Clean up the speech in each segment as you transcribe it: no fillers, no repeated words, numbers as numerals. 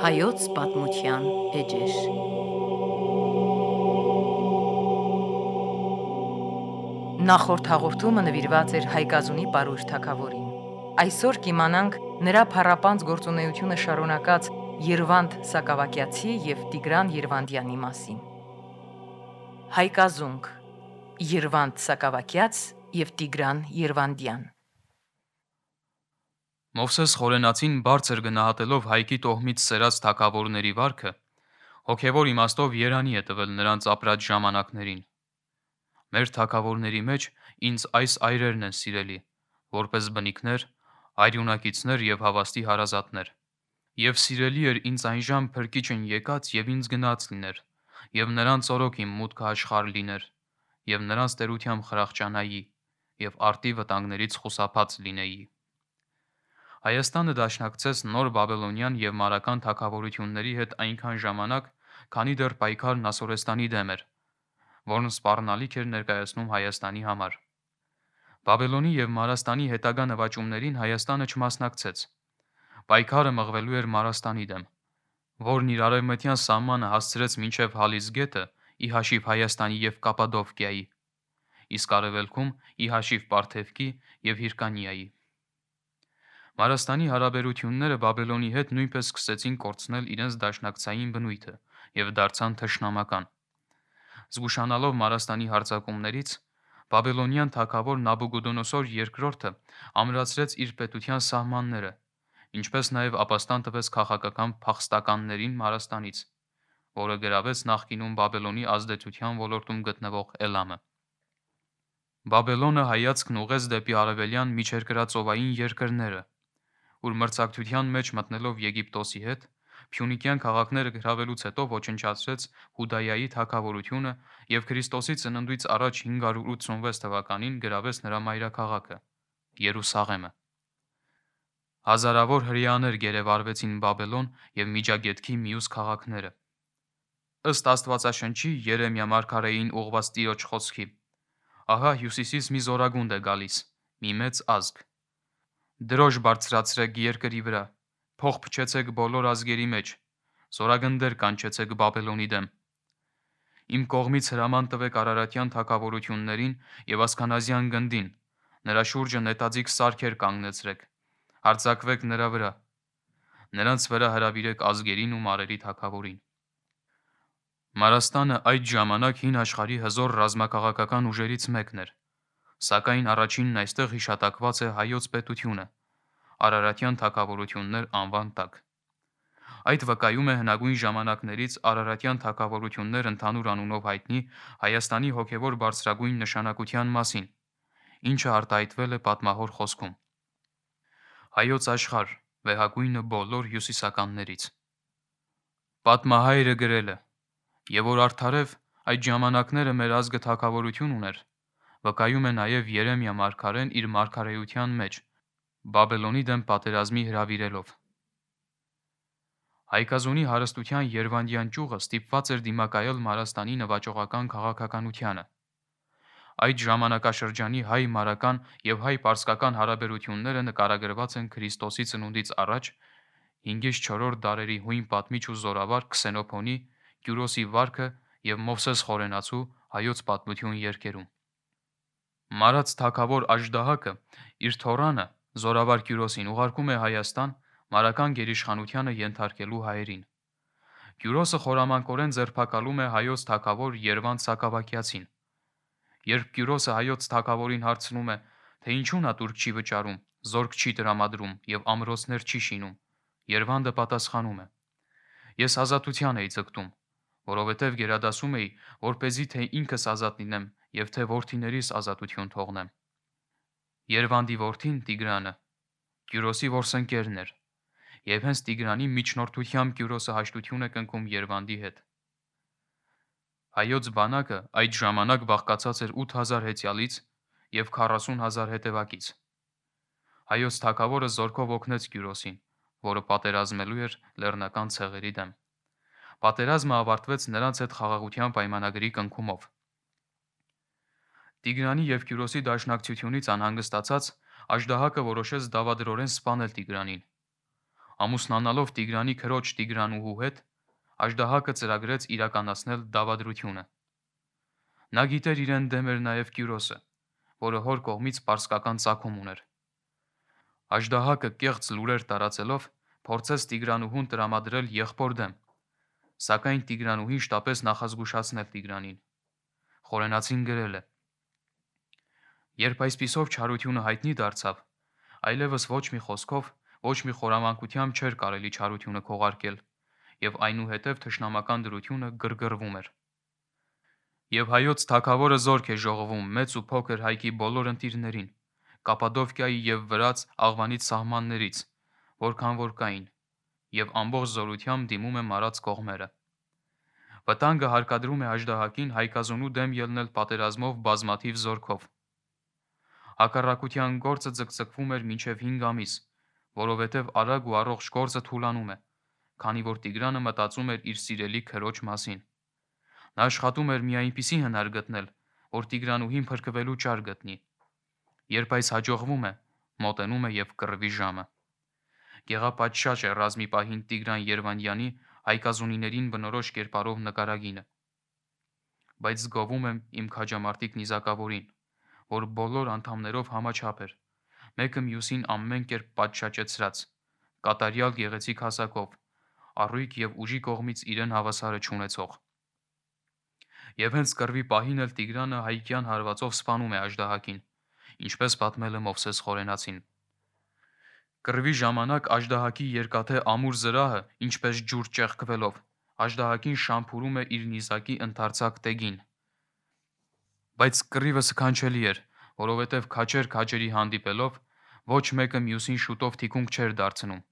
Հայոց պատմության էջեր։ Նախորդ հաղորդումը նվիրված էր Հայկազունի Պարույր թագավորին։ Այսօր կիմանանք նրա փառապանծ գործունեությունը շարունակած Երվանդ Սակավակյացի և Տիգրան Երվանդյանի մասին։ Հայկազունք Երվանդ Սակավակյաց և Տիգրան Երվանդյան։ Մովսես Խորենացին բարձր գնահատելով Հայկի տոհմից սերած թագավորների վարքը, հոգևոր իմաստով երանի է տվել նրանց ապրած ժամանակներին։ Մեր թագավորների մեջ ինձ այս այրերն են սիրելի, որպես բնիկներ, արյունակիցներ և հավաստի հարազատներ։ Եվ սիրելի էր ինձ այնժամ փրկիչն եկած և ինձ գնաց լիներ, և նրանց օրոք իմ մուտքը աշխարհ լիներ, և նրանց տերությամբ խրախճանայի, և արտի վտանգներից խուսափած լինեի։ Հայաստանը դաշնակցեց նոր բաբելոնյան և մարական թագավորությունների հետ այնքան ժամանակ, քանի դեռ պայքարն Ասորեստանի դեմ էր, որն սպառնալիք էր ներկայացնում Հայաստանի համար։ Բաբելոնի և Մարաստանի հետագա նվաճումներին Հայաստանը չմասնակցեց։ Պայքարը մղվելու էր Մարաստանի դեմ, որն իր արևմտյան սահմանը հասցրեց մինչև Հալիս գետը, ի հաշիվ Հայաստանի և Կապադովկիայի, իսկ արևելքում ի հաշիվ Պարթևկի և Հիրկանիայի։ Մարաստանի հարաբերությունները Բաբելոնի հետ նույնպես սկսեցին կորցնել իրենց դաշնակցային բնույթը և դարձան թշնամական։ Զգուշանալով Մարաստանի հարձակումներից, բաբելոնյան թագավոր Նաբուգոդոնոսոր II ամրացրեց իր պետության սահմանները, ինչպես նաև ապաստան տվեց քաղաքական փախստականներին Մարաստանից, որը գրավեց նախկինում Բաբելոնի ազդեցության ոլորտում գտնվող Էլամը։ Բաբելոնը հայացքն ուղղեց դեպի արևելյան միջերկրածովային երկրները, ուր մրցակցության մեջ մտնելով Եգիպտոսի հետ, փյունիկյան քաղաքները գրավելուց հետո ոչնչացրեց Հուդայայի թագավորությունը և Քրիստոսի ծննդից առաջ 586 թվականին գրավեց նրա մայրաքաղաքը՝ Երուսաղեմը։ Հազարավոր հրեաներ գերեվարվեցին Բաբելոն և Միջագետքի մյուս քաղաքները։ Ըստ Աստվածաշնչի Երեմիա մարգարեին ուղված Տիրոջ խոսքի. «Ահա հյուսիսից մի զորագունդ է գալիս, մի մեծ ազգ։ Դրոշ բարձրացրեք երկրի վրա, փող փչեցեք բոլոր ազգերի մեջ, զորագնդեր կանչեցեք Բաբելոնի դեմ։ Իմ կողմից հրաման տվեք արարատյան թագավորություններին և ասքանազյան գնդին, նրա շուրջը նետաձիգ սարքեր կանգնեցրեք, հարձակվեք նրա վրա, նրանց վրա հրավիրեք ազգերին ու մարերի թագավորին»։ Մարաստանը այդ ժամանակ հին աշխարհի հզոր ռազմաքաղաքական ուժերից մեկն էր, սակայն առաջինն այստեղ հիշատակված է Հայոց պետությունը՝ Արարատյան թագավորություններ անվան տակ։ Այդ վկայում է հնագույն ժամանակներից Արարատյան թագավորություններ ընդհանուր անունով հայտնի Հայաստանի հոգևոր բարձրագույն նշանակության մասին, ինչը արտահայտվել է պատմահոր խոսքում. Հայոց աշխարհ, վեհագույնը բոլոր հյուսիսականներից։ Պատմահայրը գրել է. «Եվ որ արդարև այդ ժամանակները մեր ազգը թագավորություն ուներ, վկայում է նաև Երեմիա մարգարեն իր մարգարեության մեջ, Բաբելոնի դեմ պատերազմի հրավիրելով»։ Հայկազունի հարստության Երվանդյան ճյուղը ստիպված էր դիմակայել Մարաստանի նվաճողական քաղաքականությանը։ Այդ ժամանակաշրջանի հայ-մարական և հայ-պարսկական հարաբերությունները նկարագրված են Քրիստոսի ծնունդից առաջ 5-4 դարերի հույն պատմիչ ու զորավար Քսենոփոնի «Կյուրոսի վարքը» և Մովսես Խորենացու «Հայոց պատմություն» երգերում։ Մարած թագավոր Աժդահակը իր թոռանը՝ զորավար Կյուրոսին ուղարկում է Հայաստան՝ մարական գերիշխանությանը ենթարկելու հայերին։ Կյուրոսը խորամանկորեն ձերբակալում է հայոց թագավոր Երվանդ Սակավակյացին։ Երբ Կյուրոսը հայոց թագավորին հարցնում է, թե ինչու նա տուրք չի վճարում, զորք չի տրամադրում և ամրոցներ չի շինում, Երվանդը պատասխանում է. «Ես ազատության էի ձգտում, որովհետև գերադասում էի, որպեսզի թե ինքս ազատ լինեմ և թե որդիներիս ազատություն թողնեմ»։ Երվանդի որդին՝ Տիգրանը, Կյուրոսի որսընկերն էր, և հենց Տիգրանի միջնորդությամբ Կյուրոսը հաշտություն է կնքում Երվանդի հետ։ Հայոց բանակը այդ ժամանակ բաղկացած էր 8000 հեծյալից և 40,000 հետևակից։ Հայոց թագավորը զորքով օգնեց Կյուրոսին, որը պատերազմելու էր լեռնական ցեղերի դեմ։ Պատերազմը ավարտվեց նրանց հետ խաղաղության պայմանագրի կնքումով։ Տիգրանի և Կյուրոսի դաշնակցությունից անհանգստացած Աժդահակը որոշեց դավադրորեն սպանել Տիգրանին։ Ամուսնանալով Տիգրանի քրոջ Տիգրանուհու հետ, Աժդահակը ծրագրեց իրականացնել դավադրությունը։ Նա գիտեր իրեն դեմ էր նաև Կյուրոսը, որը հոր կողմից պարսկական ծագում ուներ։ Աժդահակը կեղծ լուրեր տարածելով փորձեց Տիգրանուհուն տրամադրել եղբոր դեմ, սակայն Տիգրանուհին շտապեց նախազգուշացնել Տիգրանին։ Խորենացին գրել է. Երբ այսպիսով չարությունը հայտնի դարձավ, այլևս ոչ մի խոսքով, ոչ մի խորամանկությամբ չէր կարելի չարությունը քողարկել, եւ այնուհետև թշնամական դրությունը գրգռվում էր։ Եվ հայոց թագավորը զորք է ժողովում մեծ ու փոքր հայքի բոլոր ընտիրներին, Կապադովկիայի եւ Վրաց աղվանից սահմաններից, որքան որ կային, եւ ամբողջ զորությամբ դիմում է մարած կողմերը։ Վտանգը հարկադրում է Աժդահակին Հայկազոնու դեմ ելնել պատերազմով բազմաթիվ զորքով։ Հակառակության գործը ձգձգվում էր մինչև 5 ամիս, որովհետև արագ ու առողջ գործը թուլանում է, քանի որ Տիգրանը մտածում էր իր սիրելի քրոջ մասին։ Նա աշխատում էր մի այնպիսի հնար գտնել, որ Տիգրանուհին փրկվելու ճար գտնի։ Երբ այս հաջողվում է, մոտենում է եւ կռվի ժամը։ Գեղապատշաճ է ռազմի պահին Տիգրան Երվանդյանի հայկազունիներին բնորոշ կերպարով նկարագինը։ Բայց զգովում եմ իմ քաջամարտիկ նիզակավորին, որ բոլոր անդամներով համաչափ էր, մեկը մյուսին ամեն կերպ պատշաճեցրած, կատարյալ գեղեցիկ հասակով, առույգ եւ ուժի կողմից իրեն հավասարը չունեցող։ Եվ հենց կռվի պահին էլ Տիգրանը հայկյան հարվածով սպանում է Աժդահակին, ինչպես պատմել է Մովսես Խորենացին։ Կռվի ժամանակ Աժդահակի երկաթե ամուր զրահը, ինչպես ջուր ճեղքվելով, Աժդահակին շամփուրում է իր նիզակի ընդարձակ տեգին։ Բայց կռիվը սքանչելի էր, որովհետև քաչեր քաչերի հանդիպելով ոչ մեկը մյուսին շուտով թիկունք չէր դարձնում,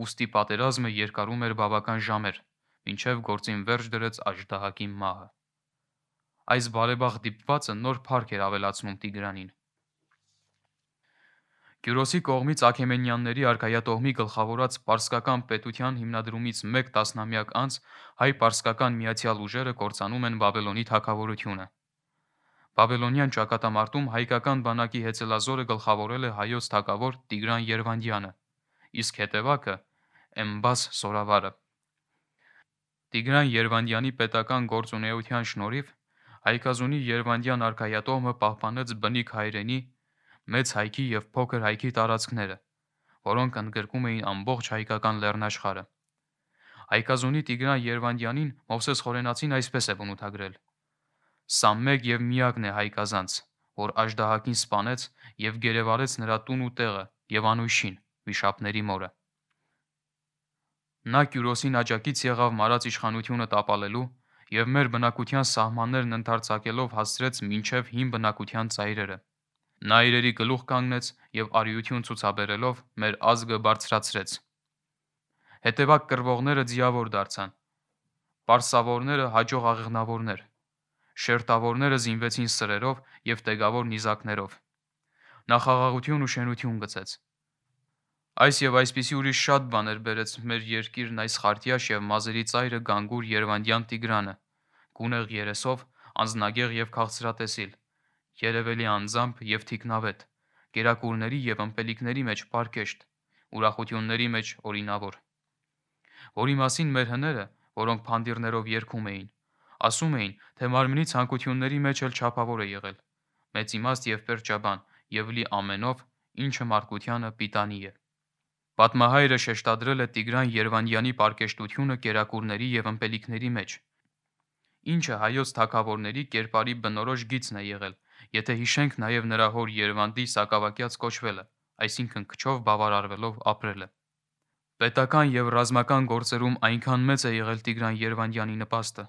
ուստի պատերազմը երկարում էր բավական ժամեր, մինչև գործին վերջ դրեց Աժդահակի մահը։ Այս բարեբախ դիպվածը նոր փառք էր ավելացնում Տիգրանին։ Կյուրոսի կողմից Աքեմենյանների արքայատոհմի գլխավորած պարսկական պետության հիմնադրումից մեկ տասնամյակ անց հայ-պարսկական միացյալ ուժերը կործանում են Բաբելոնի թագավորությունը։ Բաբելոնյան ճակատամարտում հայկական բանակի հեծելազորը գլխավորել է հայոց թագավոր Տիգրան Երվանդյանը, իսկ հետևակը Էմբաս Սորավարը։ Տիգրան Երվանդյանի պետական գործունեության շնորհիվ Հայկազունի Երվանդյան արքայատոհմը պահպանեց բնիկ հայրենի, մեծ հայքի եւ փոքր հայքի տարածքները, որոնք ընդգրկում էին ամբողջ հայկական լեռնաշխարհը։ Հայկազունի Տիգրան Երվանդյանին Մովսես Խորենացին այսպես է բնութագրել. «Սա մեկ եւ միակն է հայ կազանց, որ Աժդահակին սպանեց եւ գերեվարեց նրա տուն ու տեղը եւ անույշին, վիշապների մորը»։ Նա Կյուրոսին աջակից եղավ մարած իշխանությունը տապալելու եւ մեր բնակության սահմաններն ընդարձակելով հասցրեց մինչև հին բնակության ծայրերը։ Նա իրերի գլուխ կանգնեց եւ արիություն ցուցաբերելով մեր ազգը բարձրացրեց։ Հետևակ կռվողները ձիավոր դարձան, պարսավորները հաջող աղեղնավորներ, շերտավորները զինվեցին սրերով եւ տեգավոր նիզակներով։ Նա խաղաղություն ու շենություն գծեց։ Այս եւ այսպիսի ուրիշ շատ բաներ բերեց մեր երկիրն այս խարտյաշ եւ մազերի ծայրը Գանգուր Երվանդյան Տիգրանը, գունեղ երեսով, անձնագեղ եւ քաղցրատեսիլ, երևելի անձամբ եւ թիկնավետ, կերակուրների եւ ըմպելիքների մեջ պարկեշտ, ուրախությունների մեջ օրինավոր, որի մասին մեր հները, որոնք փանդիրներով երգում էին, ասում էին, թե մարմնի ցանկությունների մեջ էլ չափավոր է եղել, մեծ իմաստ եւ պերճաբան եւ լի ամենով, ինչը մարդկությանը պիտանի է։ Պատմահայրը շեշտադրել է Տիգրան Երվանդյանի պարկեշտությունը կերակուրների եւ ըմպելիքների մեջ, ինչը հայոց թագավորների կերպարի բնորոշ գիծն է եղել, եթե հիշենք նաև նրա հոր Երվանդի սակավակյաց կոչվելը, այսինքն քչով բավարարվելով ապրելը։ Պետական եւ ռազմական գործերում այնքան մեծ է եղել Տիգրան Երվանդյանի նպաստը,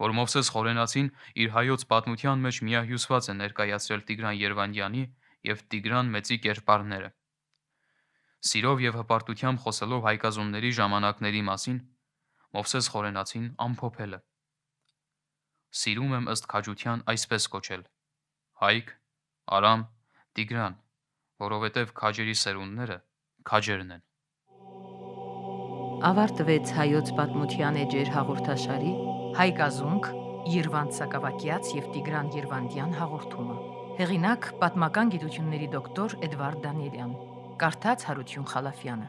որ Մովսես Խորենացին իր հայոց պատմության մեջ միահյուսված է ներկայացրել Տիգրան Երվանդյանի եւ Տիգրան Մեծի կերպարները։ Սիրով եւ հպարտությամբ խոսելով հայկազունների ժամանակների մասին, Մովսես Խորենացին ամփոփել է. Սիրում եմ ըստ քաջության այսպես կոչել. Հայկ, Արամ, Տիգրան, որովհետև քաջերի սերունդները քաջերն են։ Ավարտվեց հայոց պատմության էջեր հաղորդաշարի Հայկազունք, Երվանդ Սակավակյաց եւ Տիգրան Երվանդյան հաղորդումը։ Հեղինակ պատմական գիտությունների դոկտոր Էդվարդ Դանիելյան, կարդաց Հարություն Խալաֆյանը։